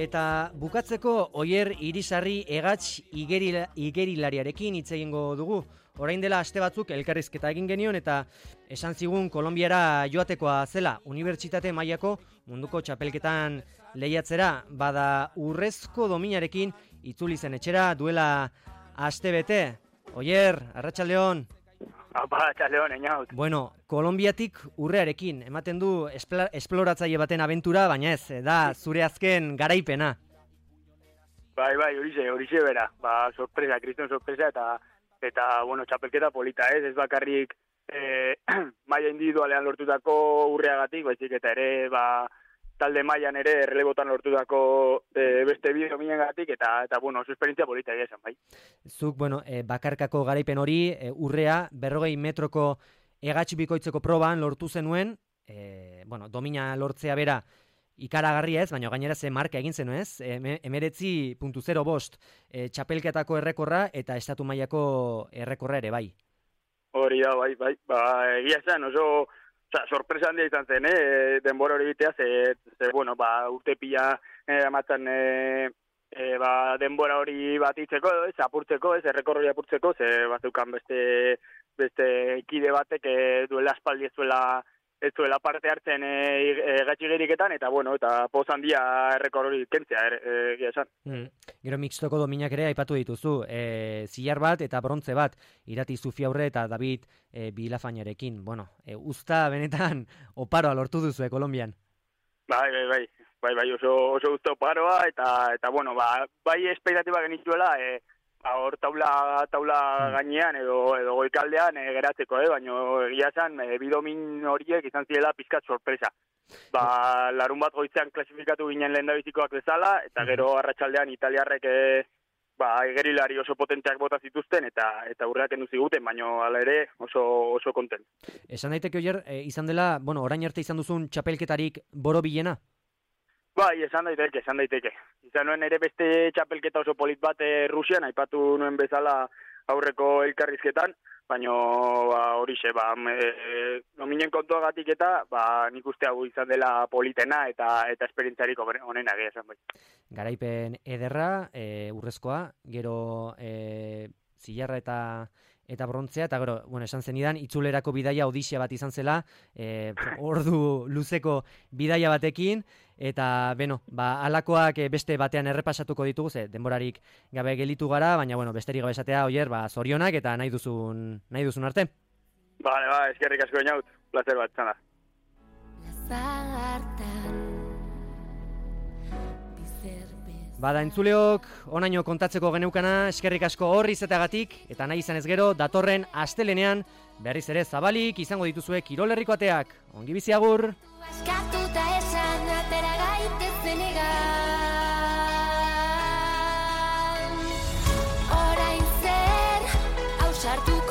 Eta bukatzeko Oier Irisarri Egatx igerilariarekin hitz egingo dugu. Orain dela aste batzuk elkarrizketa egin genion eta esan zigun Kolonbiara joatekoa zela unibertsitate mailako munduko txapelketan lehiatzera, bada urrezko dominarekin itzuli zen etxera duela aste bete. Oier, arratsaldeon. Arratsaldeon, Eñaut. Bueno, Kolonbiatik urrearekin ematen du esploratzaile baten abentura, baina ez, da zure azken garaipena. Bai, horixe bera. Sorpresa, kriston sorpresa eta bueno, txapelketa polita, ez bakarrik maila individualean lortutako urreagatik, baizik eta ere talde mailan ere errelebotan lortutako beste bi dominengatik eta bueno, oso esperientzia polita egia esan, bai. Zuk, bueno, bakarkako garaipen hori urrea 40 metroko Egatx bikoitzeko proban lortu zenuen, bueno, domina lortzea bera ikaragarria ez, baina gainera ze marka egin zenu ez, 19.05 txapelketako errekorra eta estatu mailako errekorra ere bai. Hori da, bai, egia esan, oso sorpresa handia izan zen, denbora hori bitea, bueno, urte pila amatzen denbora hori bat itzeko, apurtzeko, errekorri apurtzeko, bazukan beste kide batek duela aspaldi ez zuela parte hartzen gatxigeriketan, eta bueno, eta poz handia errekorri kentzea, egia esan. Gero mixtoko dominak ere aipatu dituzu, zilar bat eta brontze bat, Irati Zufiaurre eta David Bilafainarekin. Bueno, usta benetan oparoa lortu duzu Kolonbian. Bai, oso usta oparoa, eta bueno, bai esperatiba genituela, hor taula gainean edo goikaldean geratzeko, baina egia esan bidomin horiek izan zirela pizkat sorpresa. Larun bat goizean klasifikatu ginen lehendabizikoak bezala, eta gero arratsaldean italiarrek igerilari oso potenteak bota zituzten eta urreak endu ziguten, baina hala ere oso kontent. Esan daiteke Oier, izan dela, bueno, orain arte izan duzun txapelketarik borobilena? Bai, esan daiteke. Izan nuen ere beste txapelketa oso polit bat Rusian, aipatu nuen bezala aurreko elkarrizketan, baina horixe, nominen kontuagatik eta nik uste hau izan dela politena eta esperientziarik onena egia esan bai. Garaipen ederra, urrezkoa, gero zilarra eta brontzea, eta gero, bueno, esan zenidan, itzulerako bidaia odisia bat izan zela, ordu luzeko bidaia batekin, eta, beno, alakoak beste batean errepasatuko ditugu, denborarik gabe gelitu gara, baina, bueno, besterik gabe esatea, Oier, zorionak eta nahi duzun arte. Eskerrik asko Eñaut, placer bat, zana. Bada entzuleok, onaino kontatzeko geneukana, eskerrik asko horri izateagatik, eta nahi izan ez gero, datorren astelenean, berriz ere zabalik izango dituzue Kirol Herriko ateak. Ongi bizi agur! Askatuta esan atera gaitezen egan. Orain zer, hausartuko